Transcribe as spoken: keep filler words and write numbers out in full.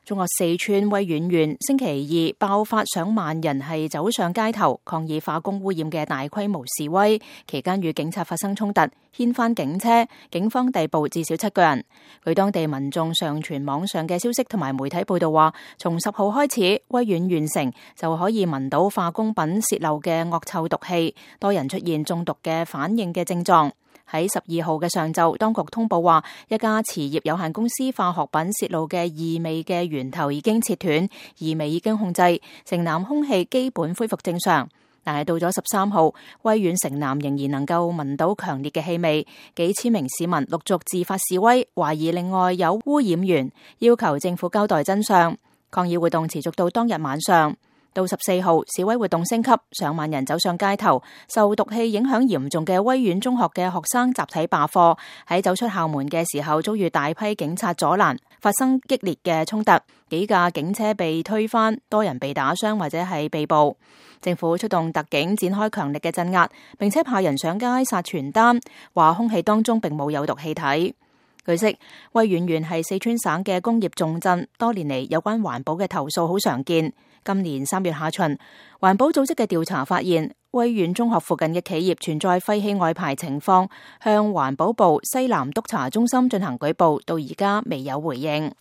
中國四川威遠縣星期二爆發上萬人係走上街頭抗議化工污染嘅大規模示威，期間與警察發生衝突，掀翻警車，警方逮捕至少七個人。據當地民眾上傳網上嘅消息同埋媒體報道話，從十號開始，威遠縣城就可以聞到化工品洩漏嘅惡臭毒氣，多人出現中毒嘅反應嘅症狀。喺十二號嘅上晝，當局通報話，一家慈業有限公司化學品洩漏嘅異味嘅源頭已經切斷，異味已經控制，城南空氣基本恢復正常。但係到咗十三號，威遠城南仍然能夠聞到強烈嘅氣味，幾千名市民陸續自發示威，懷疑另外有污染源，要求政府交代真相。抗議活動持續到當日晚上。到十四號，示威活動升級，上萬人走上街頭。受毒氣影響嚴重嘅威遠中學嘅學生集體罷課，喺走出校門嘅時候遭遇大批警察阻攔，發生激烈嘅衝突，幾架警車被推翻，多人被打傷或者係被捕。政府出動特警展開強力嘅鎮壓，並且派人上街撒傳單，話空氣當中並冇有毒氣體。據悉，威遠縣係四川省嘅工業重鎮，多年嚟有關環保嘅投訴好常見。今年三月下旬，環保組織嘅調查發現，威遠中學附近嘅企業存在廢氣外排情況，向環保部西南督察中心進行舉報，到而家未有回應。